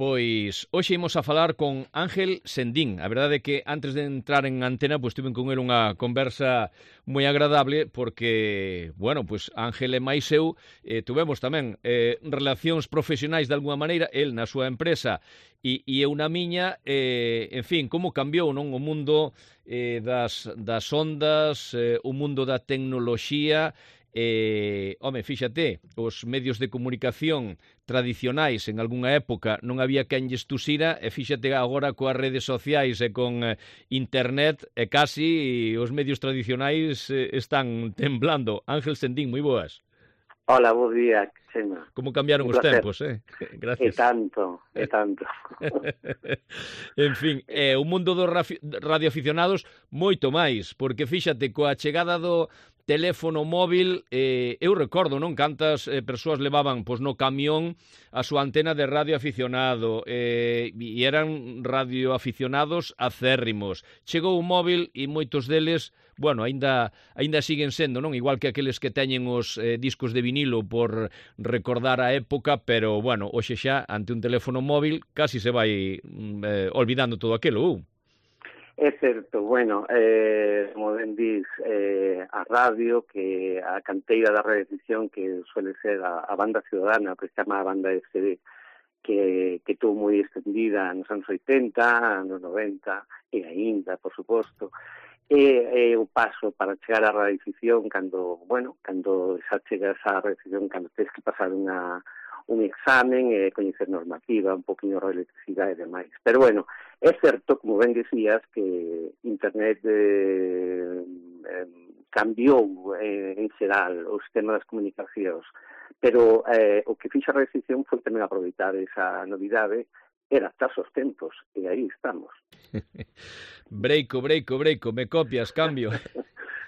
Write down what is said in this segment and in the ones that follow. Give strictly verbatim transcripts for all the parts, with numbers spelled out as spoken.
Pois, hoxe imos a falar con Ángel Sendín. A verdade é que antes de entrar en antena, pois tuve con ele unha conversa moi agradable porque, bueno, pois Ángel e máis eu eh, tuvemos tamén eh, relacións profesionais de alguma maneira, el na súa empresa e, e eu na miña, eh, en fin, como cambiou non o mundo eh, das, das ondas, eh, o mundo da tecnoloxía. Eh, home, fíxate, os medios de comunicación tradicionais en algunha época non había quen lles tusira, e fíxate agora coas redes sociais e con eh, internet e casi os medios tradicionais eh, están temblando. Ángel Sendín, moi boas. Hola, bo día, Chema. Como cambiaron os tempos, eh? Gracias. E tanto, e tanto. En fin, é eh, o mundo dos radioaficionados moito máis, porque fíxate, coa chegada do teléfono móvil, eh, eu recordo, non, cantas eh, persoas levaban pois, no camión a súa antena de radioaficionado, eh, e eran radioaficionados acérrimos. Chegou o móvil e moitos deles, bueno, aínda aínda siguen sendo, non, igual que aqueles que teñen os eh, discos de vinilo por recordar a época, pero, bueno, hoxe xa, ante un teléfono móvil, casi se vai eh, olvidando todo aquilo, uh. É certo, bueno, eh, como ben dis, eh, a radio, que a canteira da radiodifusión que suele ser a, a banda ciudadana, que se chama a banda S D, que, que tuvo moi extendida nos anos oitenta, nos noventa, e aínda, por suposto, e, e o paso para chegar á radiodifusión cando, bueno, cando xa chegas á radiodifusión, cando tens que pasar unha un examen e eh, coñecer normativa, un poquinho de electricidade e demais. Pero, bueno, é certo, como ben decías, que Internet eh, eh, cambiou eh, en xeral o sistema das comunicacións, pero eh, o que fixa a radiodifusión foi tamén aproveitar esa novidade e adaptarse aos tempos, e aí estamos. Breico, breico, breico, me copias, cambio.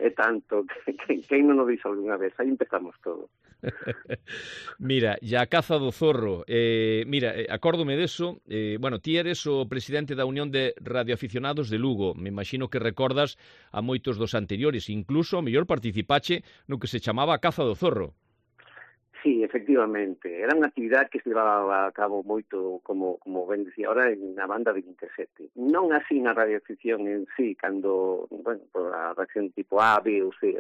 É tanto, que, que, que non o dixo algunha vez, aí empezamos todo. Mira, ya a caza do zorro, eh, mira, eh, acórdome deso, eh, bueno, ti eres o presidente da Unión de Radioaficionados de Lugo, me imagino que recordas a moitos dos anteriores, incluso o mellor participache no que se chamaba a caza do zorro. Sí, efectivamente, era unha actividade que se levaba a cabo moito, como, como ben decía ahora, na banda vinte e sete. Non así na radioafición en sí, cando, bueno, por a reacción tipo A, B ou C,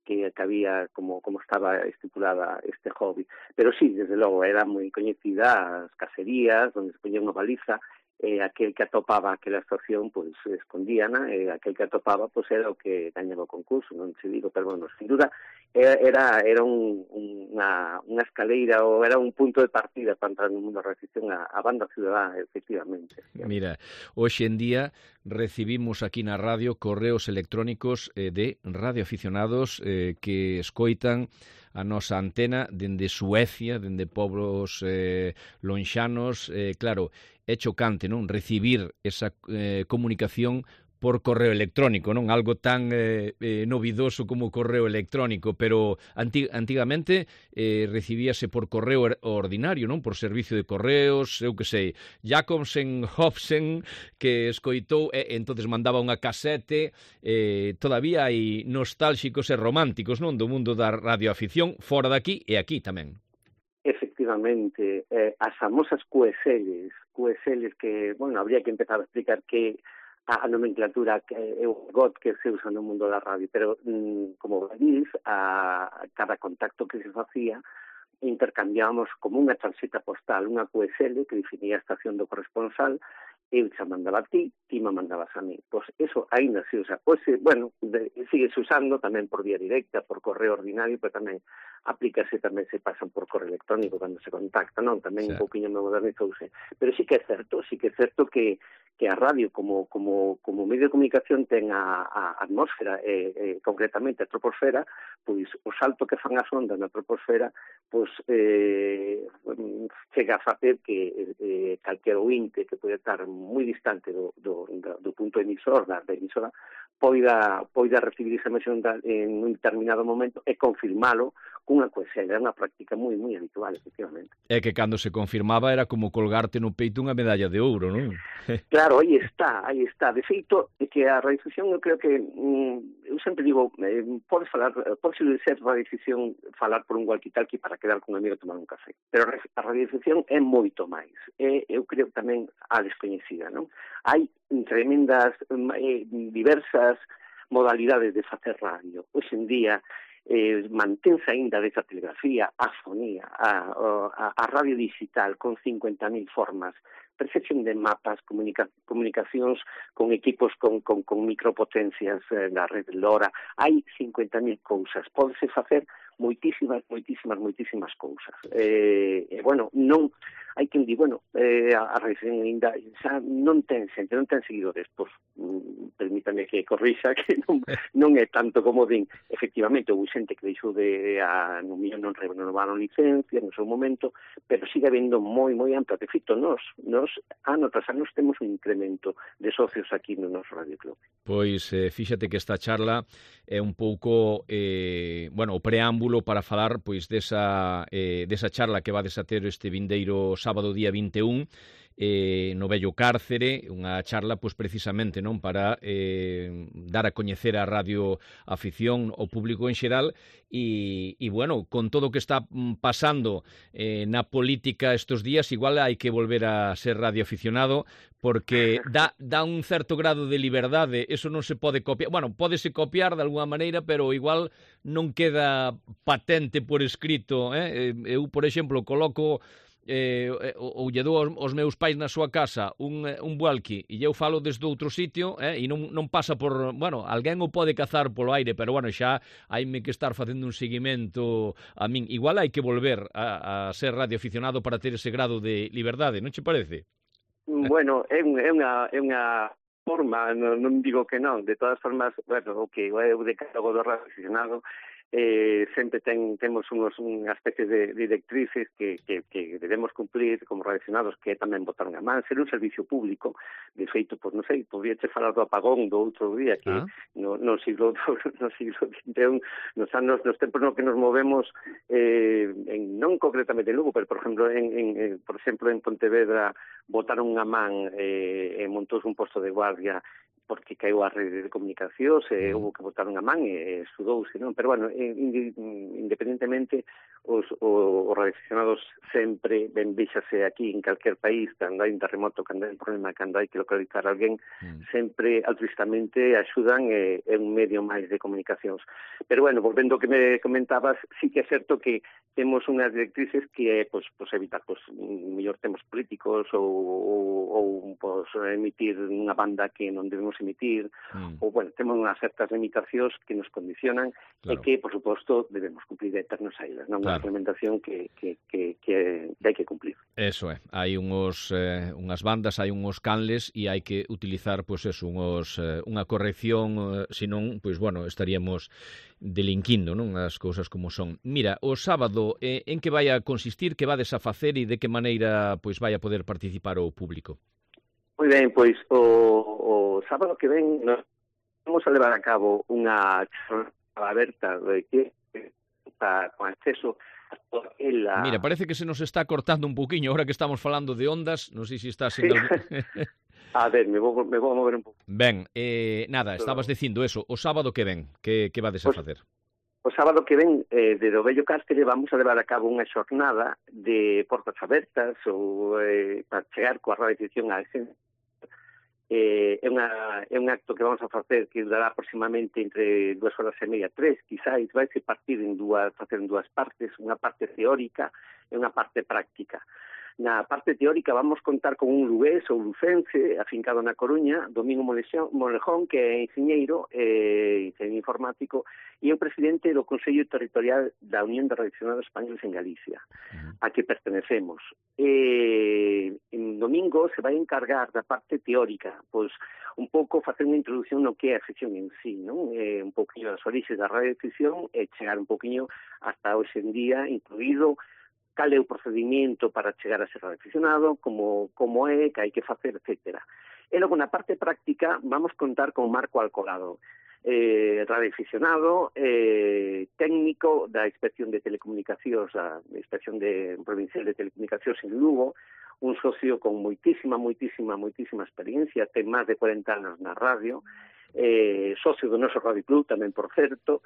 que, que había como, como estaba estipulada este hobby. Pero sí, desde logo, era moi coñecida as caserías, onde se poñía unha baliza, e aquel que atopaba aquela estación, pois, escondíana, e aquel que atopaba, pois, era o que gañaba o concurso, non se digo, pero, bueno, sin duda, era era un, unha, unha escaleira, ou era un punto de partida para entrar no mundo da radioafición a, a banda ciudadana, efectivamente. Mira, hoxe en día recibimos aquí na radio correos electrónicos eh, de radioaficionados eh, que escoitan a nosa antena dende Suecia, dende pobros eh, lonxanos, eh, claro, é chocante, non? Recibir esa eh, comunicación por correo electrónico, non? Algo tan eh, eh, novidoso como o correo electrónico, pero antig antigamente eh, recibíase por correo ordinario, non? Por servicio de correos, eu que sei, Jacobsen, Hobson, que escoitou, e entonces mandaba unha casete, eh, todavía hai nostálxicos e románticos, non? Do mundo da radioafición, fora daqui e aquí tamén. Efectivamente, eh, as famosas Q S Ls, Q S Ls que, bueno, habría que empezar a explicar que a nomenclatura que é o got que se usa no mundo da radio, pero mm, como veis, a cada contacto que se facía intercambiábamos como unha tarxeta postal, unha Q S L que definía a estación do corresponsal, eu xa mandaba a ti, ti me mandabas a mí. Pois eso ainda se usa. Pois, bueno, de, sigue usando tamén por vía directa, por correo ordinario, pero tamén aplícase, tamén se pasan por correo electrónico cando se contacta, non? Tamén sí. Un pouquinho me modernizouse. Pero sí que é certo, sí que é certo que que a radio como como como medio de comunicación ten a, a atmósfera e, e concretamente a troposfera, pois o salto que fan as ondas na troposfera, pois eh, chega a facer que eh, calquer ointe que pode estar moi distante do, do, do punto emisor, da, da emisora, poida, poida recibir esa emisión en un determinado momento e confirmalo cunha coesela. É unha práctica moi, moi habitual, efectivamente. É que cando se confirmaba era como colgarte no peito unha medalla de ouro, non? Claro, Claro, aí está, aí está. De feito, é que a radiodifusión, eu creo que, mm, eu sempre digo, eh, podes falar, podes ser radiodifusión falar por un walkie-talkie para quedar con un amigo a tomar un café. Pero a radiodifusión é moito máis. É, eu creo tamén a descoñecida, non? Hai tremendas, eh, diversas modalidades de facer radio. Hoxe en día, eh, mantense aínda desa telegrafía, a fonía, a, a, a radio digital con cincuenta mil formas, percepción de mapas, comunica, comunicacións con equipos con, con, con micropotencias eh, na rede LoRa. Hai cincuenta mil cousas. Pódese facer moitísimas, moitísimas, moitísimas cousas. Eh, e, bueno, non... Hai quen di, bueno, eh, a, a radiodifusión ainda xa non ten xente, non ten seguidores, pois, mm, permítame que corrixa, que non, non é tanto como din. Efectivamente, houve xente que deixou de, a, no millón non renovaron licencia no seu momento, pero sigue habendo moi, moi ampla. De feito, nós, nós, ano tras anos, temos un incremento de socios aquí no noso Radio Club. Pois, eh, fíxate que esta charla é un pouco, eh, bueno, o preámbulo para falar, pois, desa, eh, desa charla que vades a ter este vindeiro sábado día vinte e un eh, no Vello Cárcere, unha charla pois precisamente non para eh, dar a coñecer a radio afición ao público en xeral e, e bueno, con todo o que está pasando eh, na política estes días, igual hai que volver a ser radioaficionado porque dá, dá un certo grado de liberdade, eso non se pode copiar, bueno, pódese copiar de alguna maneira, pero igual non queda patente por escrito, eh? Eu, por exemplo, coloco eh, ou lle dou aos meus pais na súa casa un, un walkie e eu falo desde outro sitio eh, e non, non pasa por, bueno, alguén o pode cazar polo aire, pero bueno, xa haime que estar facendo un seguimento a min. Igual hai que volver a, a ser radioaficionado para ter ese grado de liberdade, non che parece? Bueno, é, un, é unha... É unha... forma, non, non digo que non, de todas formas, bueno, o que é o decálogo do radioaficionado eh, sempre ten, temos unos, unha especie de directrices que, que, que debemos cumplir como radioaficionados, que é tamén botar unha man, ser un servicio público. De feito, pois non sei, podría che falar do apagón do outro día, que ah. no, no siglo no siglo vinte e un, nos anos, nos tempos no que nos movemos, eh, en, non concretamente en Lugo, pero por exemplo, en, en, en, por exemplo, en Pontevedra botaron unha man eh, e montouse un posto de guardia porque caiu a rede de comunicacións e mm. houve que botar unha man e estudouse, non? Pero, bueno, independentemente, os, os, os radioaficionados sempre ben víxase aquí en calquer país, cando hai un terremoto, cando hai un problema, cando hai que localizar alguén, mm. sempre altruistamente axudan e é un medio máis de comunicacións. Pero, bueno, volvendo ao que me comentabas, sí que é certo que temos unhas directrices que é, pois, pois evitar, pois, mellor temos políticos ou, ou, ou pois, emitir unha banda que non debemos emitir, mm. ou, bueno, temos unhas certas limitacións que nos condicionan claro. E que, por suposto, debemos cumplir eternos ailas, non? Claro. Unha implementación que, que, que, que, que hai que cumplir. Eso é, hai unhos, eh, unhas bandas, hai unhos canles e hai que utilizar, pois, eso, unhos, eh, unha corrección, eh, senón, pois, bueno, estaríamos delinquindo, non? As cousas como son. Mira, o sábado, eh, en que vai a consistir, que vades a facer e de que maneira, pois, vai a poder participar o público? Moi ben, pois o, o sábado que ven nos vamos a levar a cabo unha charla aberta de que está con acceso a toda aquela... Mira, parece que se nos está cortando un poquinho ahora que estamos falando de ondas, non sei se está sendo... Sí. A ver, me vou, me vou a mover un pouco. Ben, eh, nada, estabas dicindo eso, o sábado que ven, que, que vades a pues, facer? O sábado que ven, eh, de do Vello Cárcere, vamos a levar a cabo unha xornada de portas abertas ou eh, para chegar coa radiodifusión á esencia. Eh, é, unha, é un acto que vamos a facer que durará aproximadamente entre dúas horas e media, tres, quizáis, vai se partir en dúas, facer en dúas partes, unha parte teórica e unha parte práctica. Na parte teórica vamos contar con un lugués ou lucense afincado na Coruña, Domingo Molejón, que é enxeñeiro e eh, informático e é o presidente do Consello Territorial da Unión de Radioaficionados Españoles en Galicia, uh-huh. a que pertenecemos. E en Domingo se vai encargar da parte teórica, pois un pouco facer unha introducción no que é a afición en sí, non? Eh, un pouquinho das orixes da radioafición e chegar un pouquinho hasta hoxe en día, incluído cal é o procedimento para chegar a ser radioaficionado, como, como é, que hai que facer, etcétera. E logo, na parte práctica, vamos contar con Marco Alcolado. eh, radioaficionado, eh, técnico da Inspección de Telecomunicacións, da Inspección de Provincial de Telecomunicacións en Lugo, un socio con moitísima, moitísima, moitísima experiencia, ten máis de cuarenta anos na radio, eh, socio do noso Radio Club tamén, por certo.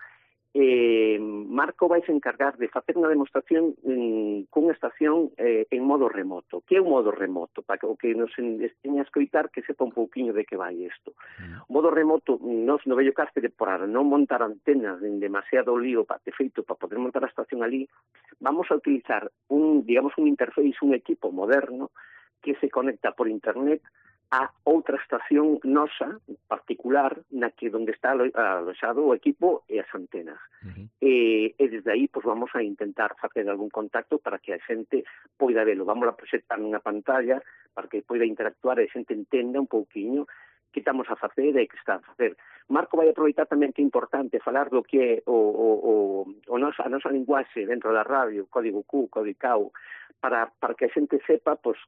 Eh, Marco vai se encargar de facer unha demostración en, cunha estación eh, en modo remoto. Que é un modo remoto? Para que o que nos esteña a escoitar que sepa un pouquiño de que vai isto. Mm. O modo remoto, nos no Vello Cárcere, por non montar antenas en demasiado lío para feito para poder montar a estación ali, vamos a utilizar un, digamos, un interface, un equipo moderno que se conecta por internet a outra estación nosa, particular, na que onde está aloxado o equipo e as antenas. Uh-huh. E, e desde aí pues, vamos a intentar facer algún contacto para que a xente poida velo. Vamos a proxectar nunha pantalla para que poida interactuar e a xente entenda un pouquiño que estamos a facer e que está a facer. Marco vai aproveitar tamén que é importante falar do que é o, o, o, o nosa, a nosa linguaxe dentro da radio, código Q, código C A U, para, para que a xente sepa pues,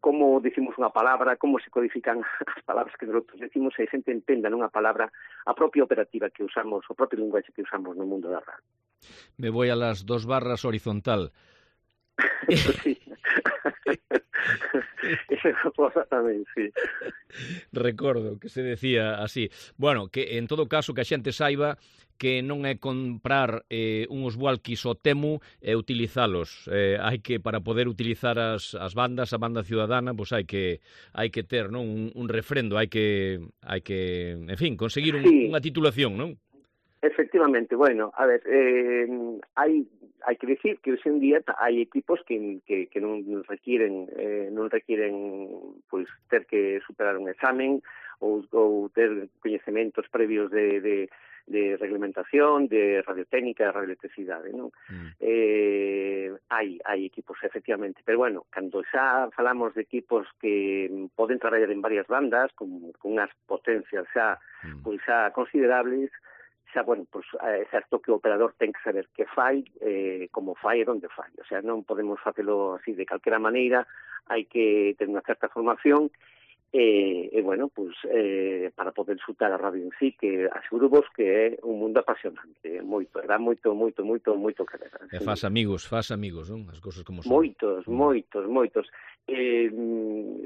como decimos unha palabra, como se codifican as palabras que nosotros decimos e a xente entenda nunha palabra a propia operativa que usamos, o propio linguaxe que usamos no mundo da radio. Me voy a las dos barras horizontal. Sí. Esa cosa tamén, sí. Recordo que se decía así. Bueno, que en todo caso que a xente saiba que non é comprar eh, uns walkies ao Temu e utilizalos. Eh, hai que, para poder utilizar as, as bandas, a banda ciudadana, pois pues hai que hai que ter, non, un, un refrendo, hai que hai que, en fin, conseguir un, sí. unha titulación, non? Efectivamente, bueno, a ver, eh, hai hai que decir que hoxe en día hai equipos que, que, que non requiren eh, non requiren pois ter que superar un examen ou, ou ter coñecementos previos de, de, de reglamentación, de radiotécnica, de radioelectricidade, non? Mm. Eh, hai, hai equipos, efectivamente, pero bueno, cando xa falamos de equipos que poden traballar en varias bandas, con, con unhas potencias xa, mm. pois xa considerables, xa, bueno, pues, é certo que o operador ten que saber que fai, eh, como fai e onde fai. O sea, non podemos facelo así de calquera maneira, hai que ter unha certa formación e, e bueno, pues, eh, para poder disfrutar a radio en sí, que aseguro vos que é un mundo apasionante, moito, dá moito, moito, moito, moito que ver. E faz amigos, faz amigos, non? As cousas como son. Moitos, mm. moitos, moitos. Eh,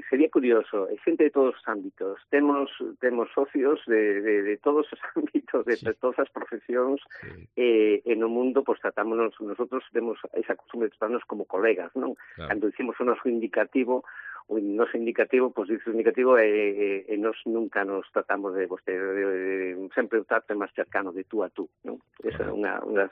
sería curioso, é xente de todos os ámbitos, temos temos socios de, de, de todos os ámbitos, de, sí. de todas as profesións, sí. eh, e no mundo, pues tratámonos, nosotros temos esa costumbre de tratarnos como colegas, non? Claro. Cando dicimos o noso indicativo, o noso indicativo, pois pues, dice o indicativo, e, e, e nos nunca nos tratamos de vostede, de, de, sempre o trato máis cercano de tú a tú, non? Esa é unha, unha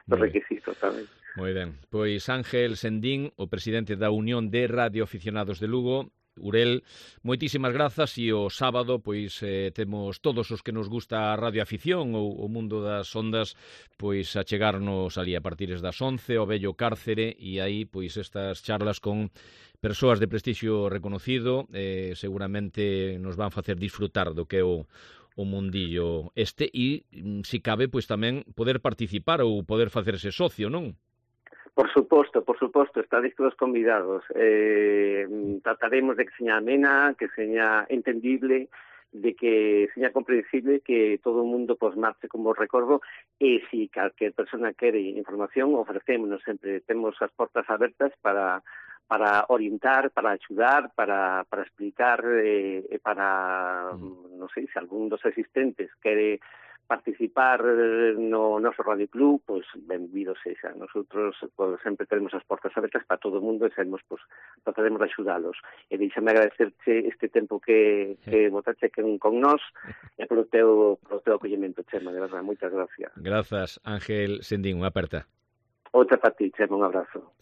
dos requisitos tamén. Moi ben, pois Ángel Sendín, o presidente da Unión de Radioaficionados de Lugo, Urel, moitísimas grazas e o sábado pois eh, temos todos os que nos gusta a radioafición ou o mundo das ondas pois a chegarnos ali a partir das once ao Vello Cárcere e aí pois estas charlas con persoas de prestixio reconocido eh, seguramente nos van facer disfrutar do que é o o mundillo este e, si cabe, pois tamén poder participar ou poder facerse socio, non? Por suposto, por suposto, estáis todos convidados. Eh, trataremos de que seña amena, que seña entendible, de que seña comprensible, que todo o mundo pues, marche como recordo, e se si calquer persona quere información, ofrecémonos sempre, temos as portas abertas para para orientar, para axudar, para, para explicar, e eh, para, mm. non sei, se algún dos asistentes quere participar no noso Radio Club, pois pues, benvido sexa. Nosotros pues, sempre tenemos as portas abertas para todo o mundo e sabemos, pues, trataremos de axudalos. E deixame agradecerche este tempo que, que botaste con, con nós e polo teu, polo teu acollemento, Chema, de verdade, moitas gracias. Grazas, Ángel Sendín, unha aperta. Outra para ti, Chema, un abrazo.